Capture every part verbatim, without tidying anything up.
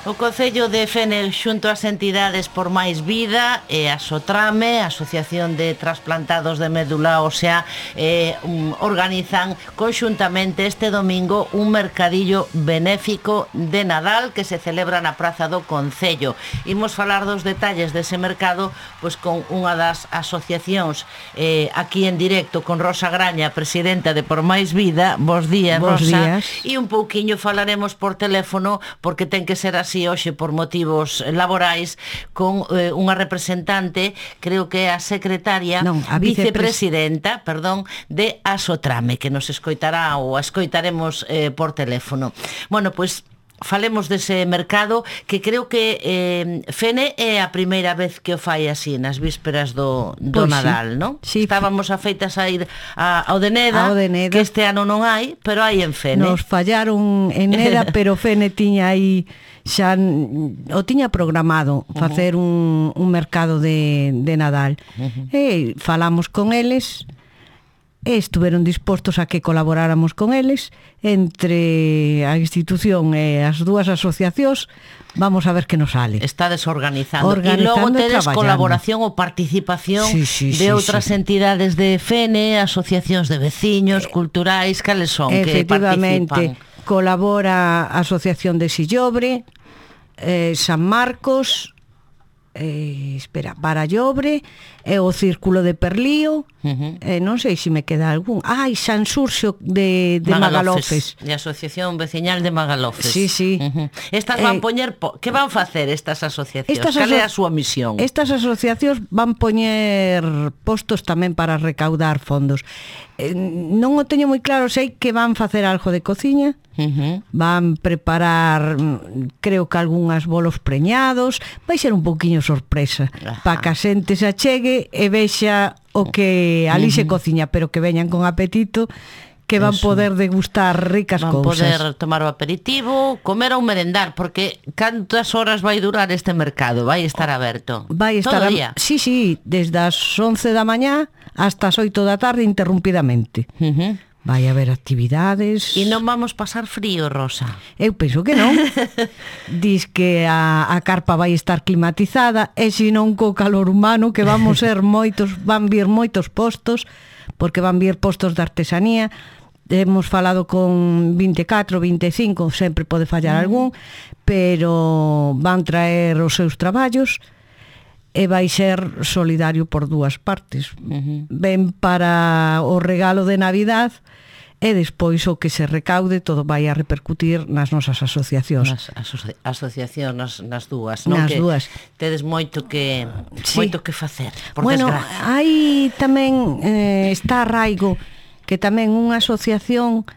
O Concello de Fene xunto ás entidades Por Máis Vida e a Sotrame, Asociación de Trasplantados de Médula Ósea, eh, um, organizan conxuntamente este domingo un mercadillo benéfico de Nadal que se celebra na Praza do Concello. Imos falar dos detalles dese mercado pois con unha das asociacións eh, aquí en directo con Rosa Graña, presidenta de Por Máis Vida. Bos días, Bos Rosa. días. E un pouquiño falaremos por teléfono porque ten que ser así hoxe por motivos laborais con eh, unha representante, creo que é a secretaria, non, a vicepresidenta, perdón, de Asotrame, que nos escoitará ou a escoitaremos eh, por teléfono. Bueno, pois falemos dese mercado que creo que eh, Fene é a primeira vez que o fai así nas vísperas do, do Pois Nadal, sí. non? Sí. Estábamos afeitas a ir a, ao de Neda, Ao de Neda, que este ano non hai, pero hai en Fene. Nos fallaron en Neda, pero Fene tiña aí xa o tiña programado facer un, un mercado de, de Nadal. Uh-huh. E falamos con eles e estuveron dispostos a que colaboráramos con eles entre a institución e as dúas asociacións. Vamos a ver que nos sale. Está desorganizando. Organizando e logo tedes traballando. Colaboración ou participación sí, sí, de sí, outras sí. entidades de Fene, asociacións de veciños, culturais, cales son que Efectivamente, participan? colabora a Asociación de Sillobre, eh, San Marcos, eh, espera, Barallobre, e o Círculo de Perlío, uh-huh. eh, non sei se me queda algún. Ai, San Xurxo de, de Magalofes. De Asociación Veciñal de Magalofes. Sí, sí. Uh-huh. Estas van Eh, poñer, po... que van facer estas asociacións? Estas Cal é a aso- súa misión? Estas asociacións van poñer postos tamén para recaudar fondos. Eh, non o teño moi claro, sei que van facer algo de cociña, Uh-huh. van preparar, mm, creo que algúns bolos preñados, vai ser un pouquiño sorpresa, para que a xente se achegue e vexa o que ali uh-huh. se cociña, pero que veñan con apetito, que van Eso. poder degustar ricas Van cousas. poder tomar o aperitivo, comer ou merendar, porque cantas horas vai durar este mercado? Vai estar aberto? Vai estar todo o a... día? Sí, sí, desde as once da mañá hasta as oito da tarde interrumpidamente. Uh-huh. Vai haber actividades. E non vamos pasar frío, Rosa? Eu penso que non. Dis que a, a carpa vai estar climatizada e se non co calor humano, que vamos ser moitos, van vir moitos postos, porque van vir postos de artesanía. Hemos falado con vinte e catro, vinte e cinco, sempre pode fallar mm. algún, pero van traer os seus traballos e vai ser solidario por dúas partes. Uh-huh. Ven para o regalo de Navidad e despois o que se recaude todo vai a repercutir nas nosas asociacións. Nas aso- asociacións, nas, nas dúas, non? Nas Que dúas. Tedes moito que Sí. moito que facer, por Bueno, desgracia. hai tamén eh, está Arraigo, que tamén unha asociación,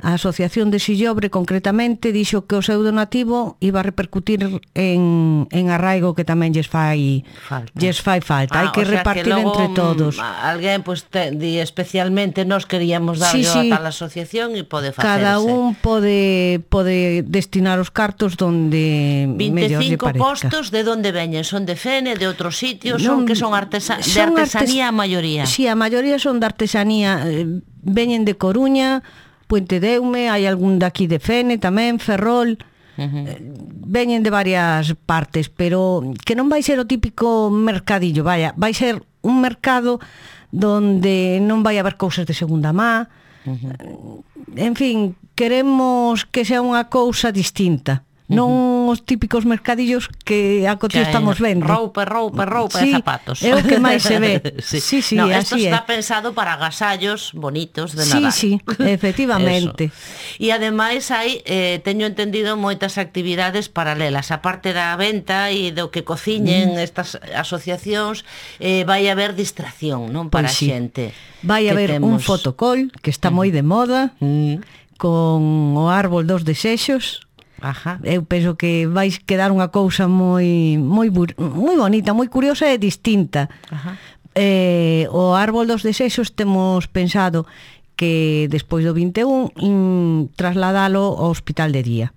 a Asociación de Sillobre concretamente, dixo que o seu donativo iba a repercutir en, en Arraigo, que tamén lles fai Falta. lles fai falta. Hai Ah, que o sea repartir que logo, entre todos. mm, Alguén pues, te, di especialmente nos queríamos dar Sí, sí. a tal asociación e pode facerse. Cada un pode pode destinar os cartos donde mellor lle vinte e cinco parezca. postos de onde veñen? Son de Fene, de outros sitios? Non, son que son artesa de son artesanía artes- a maioría? Sí, a maioría son de artesanía. eh, Veñen de Coruña, Puente de Eume, hai algún daqui de Fene tamén, Ferrol. Uh-huh. eh, Veñen de varias partes, pero que non vai ser o típico mercadillo, vaya, vai ser un mercado donde non vai haber cousas de segunda má. Uh-huh. En fin, queremos que sea unha cousa distinta. Non os típicos mercadillos que a cotí Que estamos hai vendo. Roupa, roupa, roupa Sí, e zapatos. é o que máis se ve. Sí, Sí, sí, no, así esto é. está pensado para agasallos bonitos de Sí, Nadal. sí, efectivamente. Eso. E ademais hai, eh, teño entendido, moitas actividades paralelas. A parte da venta e do que cociñen mm. estas asociacións, eh, vai haber distracción, non? Para Pois sí. a xente. Vai que haber temos... un fotocall que está moi de moda, Mm. con o árbol dos desexos. Ajá. Eu penso que vais quedar unha cousa moi moi bu- moi bonita, moi curiosa e distinta. Ajá. Eh, o árbol dos desexos temos pensado que despois do vinte e un in, trasladalo ao hospital de día.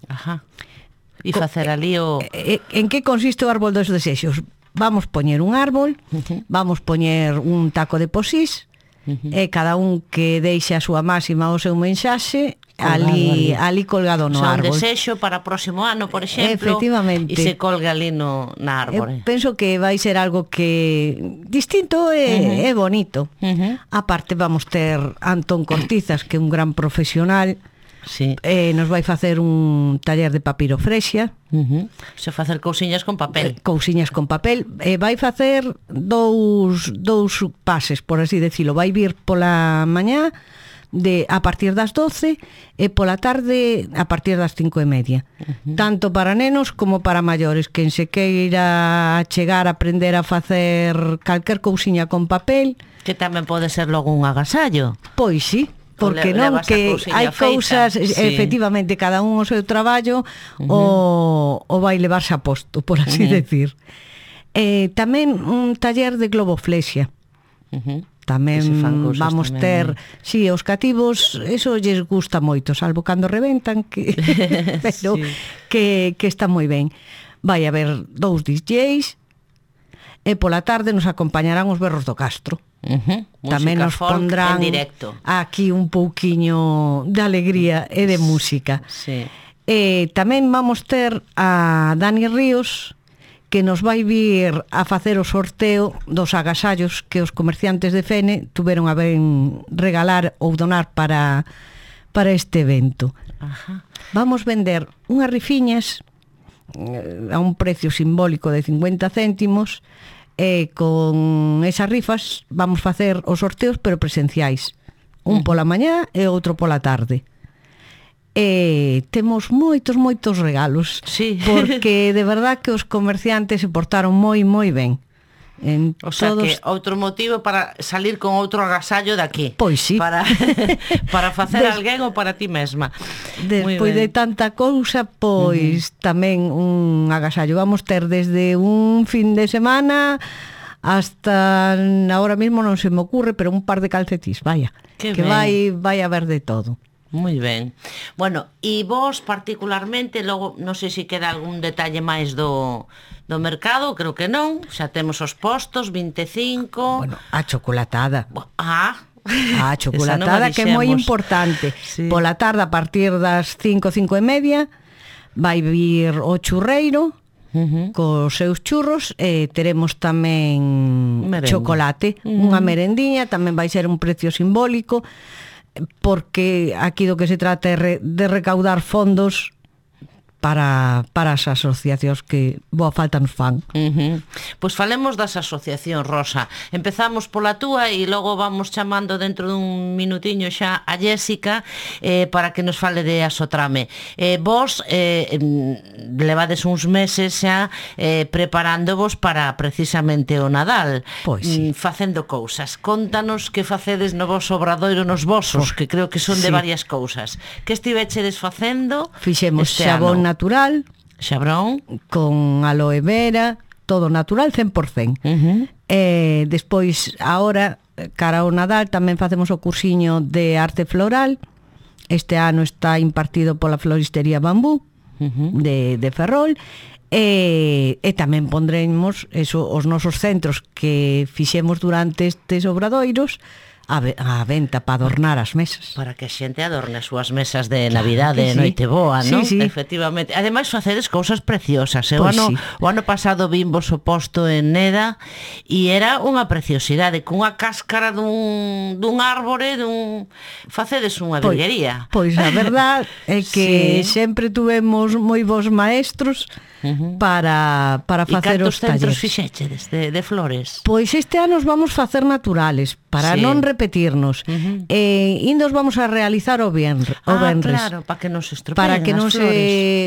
Ajá. E facer ali o... Eh, en que consiste o árbol dos desexos? Vamos poñer un árbol, Uh-huh. vamos poñer un taco de posís uh-huh. e cada un que deixe a súa máxima o seu mensaxe ali, ali colgado no o sea, árbol. Un desexo para o próximo ano, por exemplo, efectivamente, e se colga ali no, na árbore. Eu penso que vai ser algo que distinto e, uh-huh. e bonito. Uh-huh. Aparte vamos ter Antón Cortizas, que é un gran profesional. Sí. Eh, nos vai facer un taller de papirofrexia. Uh-huh. Se facer cousiñas con papel. Eh, cousiñas con papel. E eh, vai facer dous, dous pases, por así decirlo. Vai vir pola mañá de a partir das doce e pola tarde a partir das cinco e media. Uh-huh. Tanto para nenos como para maiores. Quen se queira chegar a aprender a facer calquer cousiña con papel. Que tamén pode ser logo un agasallo. Pois sí. Porque non, que hai cousas, sí. efectivamente, cada un o seu traballo uh-huh. o, o vai levarse a posto, por así uh-huh. decir. Eh, tamén un taller de globoflexia. Uh-huh. Tamén vamos tamén. ter, si, sí, os cativos, eso lles gusta moito, salvo cando reventan, que pero sí. que, que está moi ben. Vai haber dous D Js e pola tarde nos acompañarán os berros do Castro. Uh-huh. Tamén nos pondrán aquí un pouquiño de alegría e de música. Sí. E tamén vamos ter a Dani Ríos, que nos vai vir a facer o sorteo dos agasallos que os comerciantes de Fene tuveron a ben regalar ou donar para, para este evento. Ajá. Vamos vender unhas rifiñas a un precio simbólico de cincuenta céntimos. E con esas rifas vamos facer os sorteos, pero presenciais, un pola mañá e outro pola tarde. E temos moitos, moitos regalos, sí. porque de verdad que os comerciantes se portaron moi, moi ben. En o sea todos... que outro motivo para salir con outro agasallo daqui. Pois sí. Para, para facer Des... alguén ou para ti mesma. Despois de tanta cousa, pois uh-huh. tamén un agasallo. Vamos ter desde un fin de semana hasta, ahora mismo non se me ocurre, pero un par de calcetís, vaya. Que, que vai, vai haber de todo. Moi ben. Bueno, e vos particularmente, logo, non sei se queda algún detalle máis do, do mercado, creo que non, xa temos os postos, vinte e cinco... Bueno, a chocolatada. Ah, a chocolatada, que é moi importante. Sí. Pola tarde, a partir das cinco, cinco e media, vai vir o churreiro, uh-huh. cos seus churros, e teremos tamén Merengue. chocolate, uh-huh. unha merendiña, tamén vai ser un precio simbólico, porque aquí do que se trata é re, de recaudar fondos para, para as asociacións que boa falta nos fan. Uh-huh. Pois falemos das asociacións, Rosa. Empezamos pola túa e logo vamos chamando dentro dun minutiño xa a Jéssica eh, para que nos fale de Asotrame. Eh, vos eh, levades uns meses xa eh, preparándovos para precisamente o Nadal. Pois sí. Facendo cousas. Contanos que facedes no vosso obradoiro nos vosos, que creo que son de sí. varias cousas. Que estivechedes facendo? Fixemos xabón natural, natural, xabrón con aloe vera, todo natural cen por cen. Uh-huh. E despois, agora, cara ao Nadal, tamén facemos o cursiño de arte floral. Este ano está impartido pola floristería Bambú, uh-huh. de, de Ferrol. E, e tamén pondremos eso, os nosos centros que fixemos durante estes obradoiros a, a venta para adornar as mesas. Para que a xente adorne as súas mesas de Navidade, claro, sí. Noite boa, non? Sí, sí. Efectivamente. Ademais, facedes cousas preciosas. O, pues ano, sí. o ano pasado vimos o posto en Neda e era unha preciosidade, cunha cáscara dun, dun árbore, dun... facedes unha virguería. Pois, pois a verdad é que sí. sempre tuvemos moi bons maestros uh-huh. para, para facer os talleres. E cantos centros fixechedes de, de flores? Pois este ano os vamos facer naturales, para sí. non repetirnos. Uh-huh. E indos vamos a realizar o venres. Ah, o venres, claro, para que non se estropeen para que non se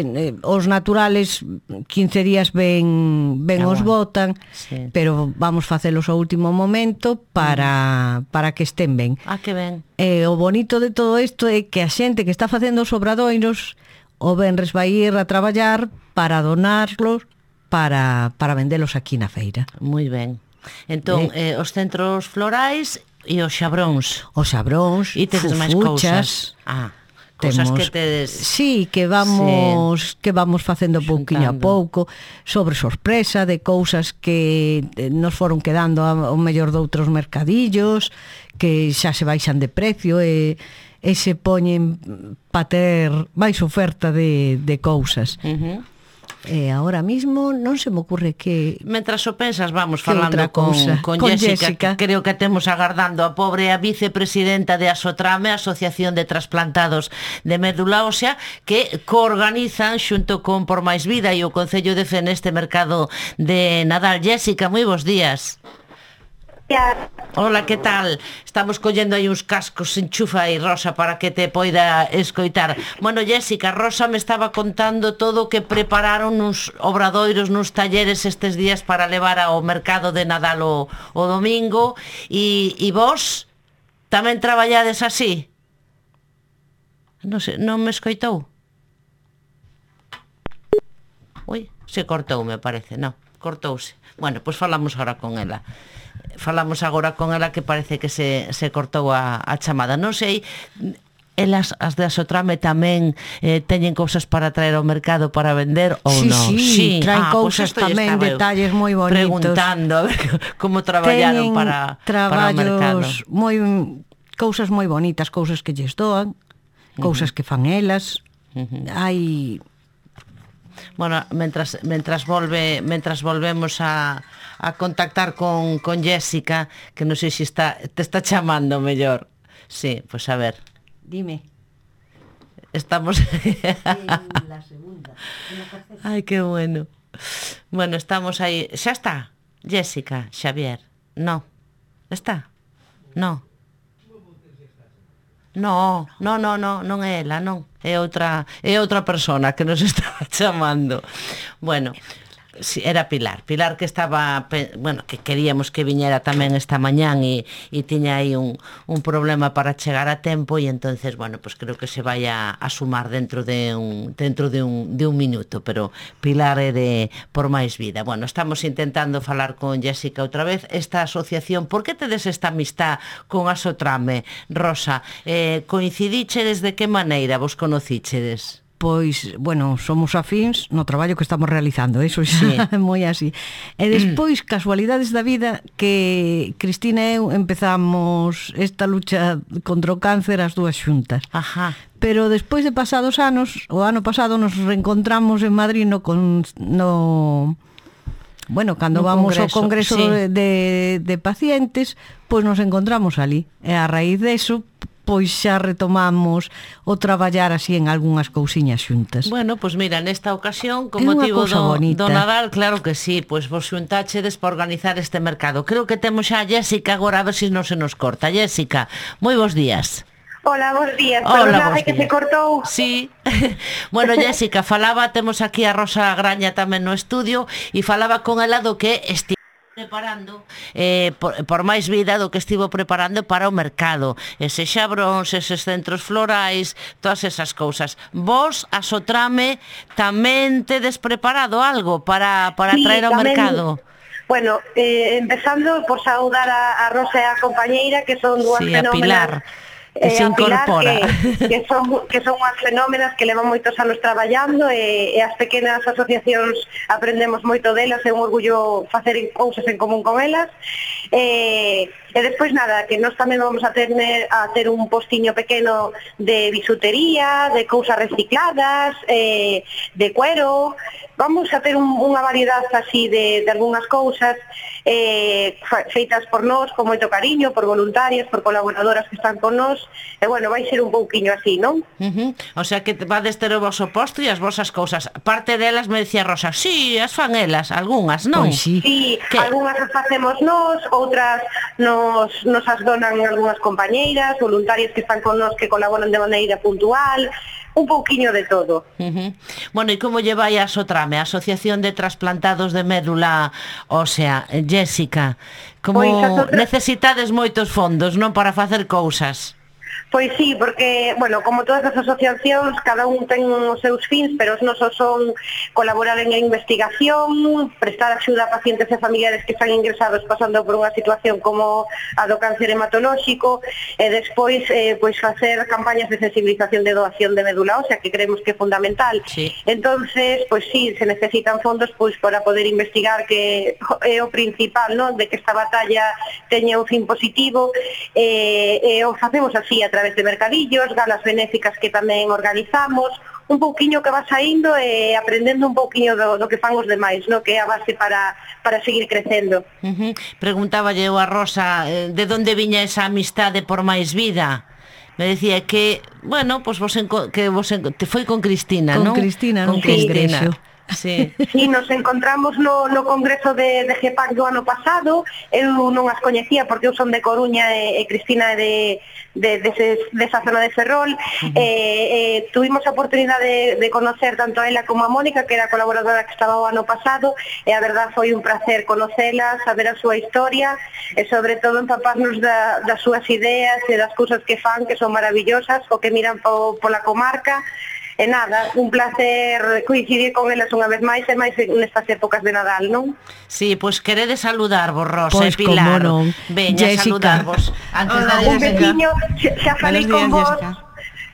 eh, os naturales quince días ben ben ah, os botan, sí. pero vamos facelos ao último momento para uh-huh. para que estén ben. Ah, que ben. E o bonito de todo isto é que a xente que está facendo os obradoiros o venres vai ir a traballar para donarlos para, para vendelos aquí na feira. Moi ben. Entón, eh, os centros florais e os xabróns. Os xabróns, e tedes máis cousas. Ah, Cousas temos, que tedes... Sí, que vamos sí, que vamos facendo pouquiño a pouco, sobre sorpresa de cousas que nos foron quedando ao mellor de outros mercadillos, que xa se baixan de precio e, e se poñen pa ter máis oferta de, de cousas. Uh-huh. E agora mismo non se me ocurre que... Mentras o pensas, vamos falando con, con, con Jéssica, Jéssica, que creo que temos agardando a pobre a vicepresidenta de Asotrame, Asociación de Trasplantados de Médula Ósea, que coorganizan xunto con Por Máis Vida e o Concello de Fene este mercado de Nadal. Jéssica, moi bons días. Hola, que tal? Estamos collendo aí uns cascos, enchufa aí, Rosa, para que te poida escoitar. Bueno, Jéssica, Rosa me estaba contando todo o que prepararon nos obradoiros, nos talleres estes días para levar ao mercado de Nadal o, o domingo. E, e vos tamén traballades así? Non sei, non me escoitou? Ui, se cortou, me parece, non, cortouse. Bueno, pois falamos agora con ela. Falamos agora con ela que parece que se, se cortou a, a chamada. Non sei, elas, as de Asotrame tamén eh, teñen cousas para traer ao mercado para vender ou sí, non? Sí, sí, traen ah, cousas pues tamén, detalles moi bonitos. Preguntando a ver como traballaron para, para o mercado. Moi, cousas moi bonitas, cousas que lles doan, cousas uh-huh. que fan elas. Uh-huh. Hai... Bueno, mentras, mentras volve mentras volvemos a, a contactar con, con Jéssica, que non sei se está, te está chamando mellor. Sí, pois pues a ver. Dime. Estamos... la segunda. Ai, que bueno. Bueno, estamos aí. Xa está, Jéssica, Xavier. No. Está? No. No, no, no, no, non é ela, non. É outra, é outra persona que nos estaba chamando. Bueno, sí, era Pilar. Pilar que estaba, bueno, que queríamos que viñera tamén esta mañán e, e tiña aí un, un problema para chegar a tempo e entonces, bueno, pues creo que se vai a, a sumar dentro de un dentro de un, de un minuto, pero Pilar é de Por Máis Vida. Bueno, estamos intentando falar con Jéssica outra vez. Esta asociación, por que tedes esta amistad con Asotrame, Rosa? Eh, coincidichedes de que maneira vos conocíchedes? Pois, bueno, somos afíns no traballo que estamos realizando, eso xa é moi así. E despois, casualidades da vida, que Cristina e eu empezamos esta lucha contra o cáncer as dúas xuntas. Ajá. Pero despois de pasados anos, o ano pasado nos reencontramos en Madrid no... Con, no bueno, cando no vamos congreso, ao congreso sí. de, de, de pacientes, pois nos encontramos ali. E a raíz deso, pois xa retomamos o traballar así en algunhas cousiñas xuntas. Bueno, pois mira, nesta ocasión, con motivo do, do Nadal, claro que sí, pois vos xuntáchedes para organizar este mercado. Creo que temos xa a Jéssica agora, a ver se non se nos corta. Jéssica, moi bons días. Hola, bons días. Hola, bons días. Que se cortou. Sí. Bueno, Jéssica, falaba, temos aquí a Rosa Graña tamén no estudio, e falaba con ela do que esti preparando eh, por, por Máis Vida, do que estivo preparando para o mercado, ese xabrons, eses centros florais, todas esas cousas. Vos, Asotrame, tamén tedes preparado algo para, para sí, traer ao tamén, mercado? Bueno, eh, empezando por saudar a, a Rosa e a compañeira, que son dúas sí, fenómenas. Que se incorpora. Que, que, son, que son unhas fenómenas que levan moitos anos traballando e, e as pequenas asociacións aprendemos moito delas, é un orgullo facer cousas en común con elas. E, e despois nada, que nós tamén vamos a ter, a ter un postiño pequeno de bisutería, de cousas recicladas, eh, de cuero. Vamos a ter un, unha variedade así de, de algunhas cousas eh, feitas por nós, con moito cariño, por voluntarias, por colaboradoras que están con nós, e bueno, vai ser un pouquiño así, non? Uh-huh. O sea que vades ter o vosso posto e as vosas cousas. Parte delas me decía Rosa, sí, as fan elas, algunhas, non? Pois sí, sí algunhas as facemos nós, outras nos, nos as donan algunhas compañeiras, voluntarias que están con nós, que colaboran de maneira puntual, un pouquiño de todo. Uh-huh. Bueno, e como lleva a Asotrame, a Asociación de Trasplantados de Médula Ósea, Jéssica, como pues, otra... necesitades moitos fondos, non, para facer cousas? Pois sí, porque, bueno, como todas as asociacións, cada un ten os seus fins, pero os nosos son colaborar en a investigación, prestar axuda a pacientes e familiares que están ingresados pasando por unha situación como a do cáncer hematolóxico, e despois eh, pois facer campañas de sensibilización de doación de médula ósea, que creemos que é fundamental. Sí. Entonces, pois sí, se necesitan fondos pois para poder investigar, que é o principal, non, de que esta batalla teña un fin positivo, e, e o facemos así a través de mercadillos, galas benéficas que tamén organizamos, un pouquiño que va saindo e aprendendo un pouquiño do, do que fan os demais, no? Que é a base para, para seguir crecendo. Uh-huh. Preguntáballe eu a Rosa eh, de onde viña esa amistade por máis vida. Me decía que, bueno, pues vos enco- que vos enco- te foi con Cristina, Con non? Cristina, con nun congreso. Sí. Sí, nos encontramos no, no congreso de, de GEPAC do ano pasado. Eu non as coñecía porque eu son de Coruña e, e Cristina é de, de, de, de, de esa zona de Ferrol. Uh-huh. eh, eh, tuvimos a oportunidade de, de conocer tanto a ela como a Mónica, que era a colaboradora que estaba o ano pasado, e a verdad foi un placer conocelas, saber a súa historia e sobre todo empaparnos da, das súas ideas e das cousas que fan, que son maravillosas, o que miran po, pola comarca. E nada, un placer coincidir con elas unha vez máis, e máis nestas épocas de Nadal, non? Sí, pois pues queredes saludarvos, Rosa Pois e Pilar. como non. Veña, Jessica. saludarvos. Antes Hola, de Un Jessica. veciño, xa, xa falei Buenos con días, vos, Jessica.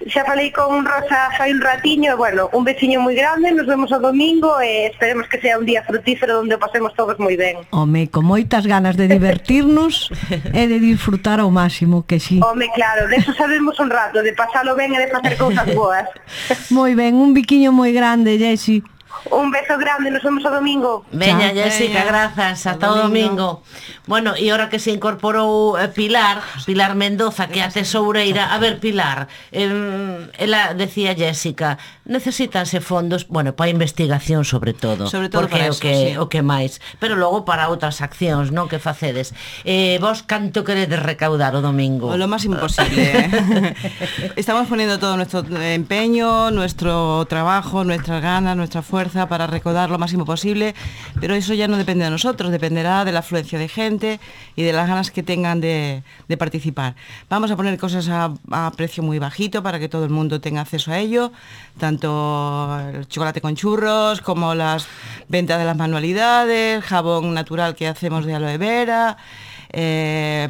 xa falei con Rosa fai un ratiño, e bueno, un veciño moi grande, nos vemos o domingo e esperemos que sea un día frutífero onde o pasemos todos moi ben. Home, con moitas ganas de divertirnos e de disfrutar ao máximo, que sí. Home, claro, de eso sabemos un rato, de pasalo ben e de facer cousas boas. Moi ben, un biquiño moi grande, Jessy. Un beso grande, nos vemos o domingo. Veña, Chao. Jessica, Veña. grazas, ata o Ata o domingo. Bueno, e ahora que se incorporou eh, Pilar, Pilar Mendoza, que é a tesoureira. A ver, Pilar, eh, ela decía Jessica, necesítanse fondos, bueno, para a investigación sobre todo, Sobre todo porque é para o eso, que, sí. o que máis, pero logo para outras accións, non, que facedes. Eh, vos canto queredes recaudar o domingo? O lo máximo posible. Estamos poniendo todo nuestro empeño, nuestro trabajo, nuestras ganas, nuestra fuerza para recaudar lo máximo posible, pero eso ya no depende de nosotros, dependerá de la afluencia de gente y de las ganas que tengan de, de participar. Vamos a poner cosas a, a precio muy bajito para que todo el mundo tenga acceso a ello, tanto el chocolate con churros como las ventas de las manualidades, jabón natural que hacemos de aloe vera, Eh,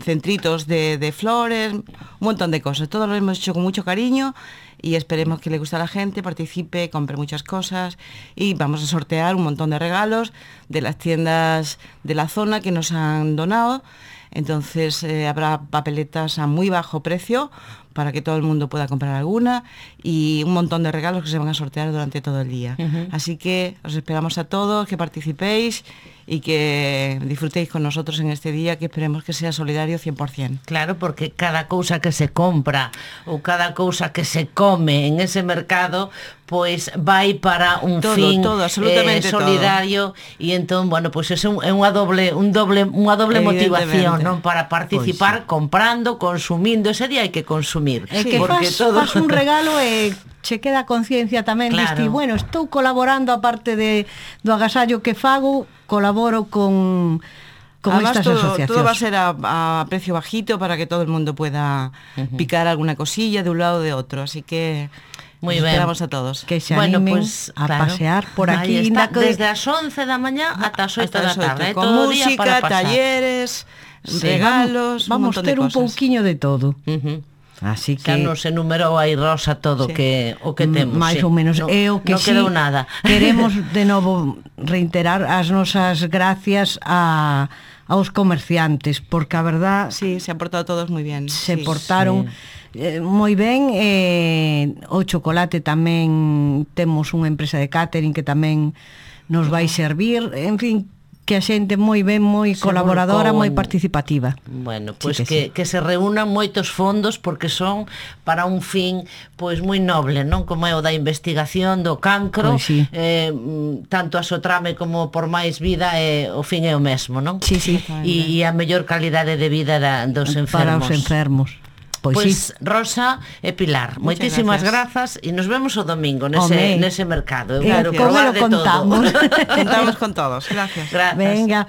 centritos de, de flores, un montón de cosas. Todo lo hemos hecho con mucho cariño y esperemos que le guste a la gente, participe, compre muchas cosas, y vamos a sortear un montón de regalos de las tiendas de la zona que nos han donado. Entonces eh, habrá papeletas a muy bajo precio para que todo el mundo pueda comprar alguna, y un montón de regalos que se van a sortear durante todo el día. Uh-huh. Así que os esperamos a todos, que participéis y que disfrutéis con nosotros en este día, que esperemos que sea solidario cien por ciento. Claro, porque cada cousa que se compra ou cada cousa que se come en ese mercado, pois vai para un todo, fin todo, absolutamente eh, solidario, e entón, bueno, pois é un, é unha doble un doble unha doble motivación, non, para participar, pois, sí, comprando, consumindo. Ese día hai que consumir. É que porque faz, todo... faz un regalo e che queda conciencia tamén, claro. Diste, bueno, estou colaborando aparte de do agasallo que fago, colaboro con con Además, estas todo, asociacións. todo va a ser a, a precio bajito para que todo el mundo pueda uh-huh. picar alguna cosilla de un lado o de otro, así que muy nos bien. Esperamos a todos. Que se bueno, animen pues, a claro. pasear por aquí. Ahí está, que... desde as once da mañá ata as oito da tarde. Con todo música, día para pasar. talleres, sí. regalos, vamos, un montón ter de un cosas. pouquiño de todo. Uh-huh. Así que xa nos enumerou aí Rosa todo sí. que o que temos. máis sí. ou menos no, é o que non sí, quedou nada. Queremos de novo reiterar as nosas gracias a aos comerciantes, porque a verdad sí, se han portado todos moi bien. Se sí. portaron sí. eh, moi ben, eh, o chocolate tamén temos unha empresa de catering que tamén nos vai servir, en fin, que a xente moi ben, moi se colaboradora, moi en... participativa. Bueno, pois sí pues que, que, sí. que se reúnan moitos fondos porque son para un fin pois moi noble, non? Como é o da investigación do cancro, pues sí. eh, tanto a Sotrame como por máis vida, eh, o fin é o mesmo, non? Sí, sí. E, e a mellor calidade de vida da, dos enfermos. Para os enfermos. Pois, pois sí. Rosa e Pilar, muchas moitísimas grazas. grazas e nos vemos o domingo nese, nese mercado. Eu eh, quero como probar lo de contamos? todo. Contamos con todos. Gracias. Grazas. Venga.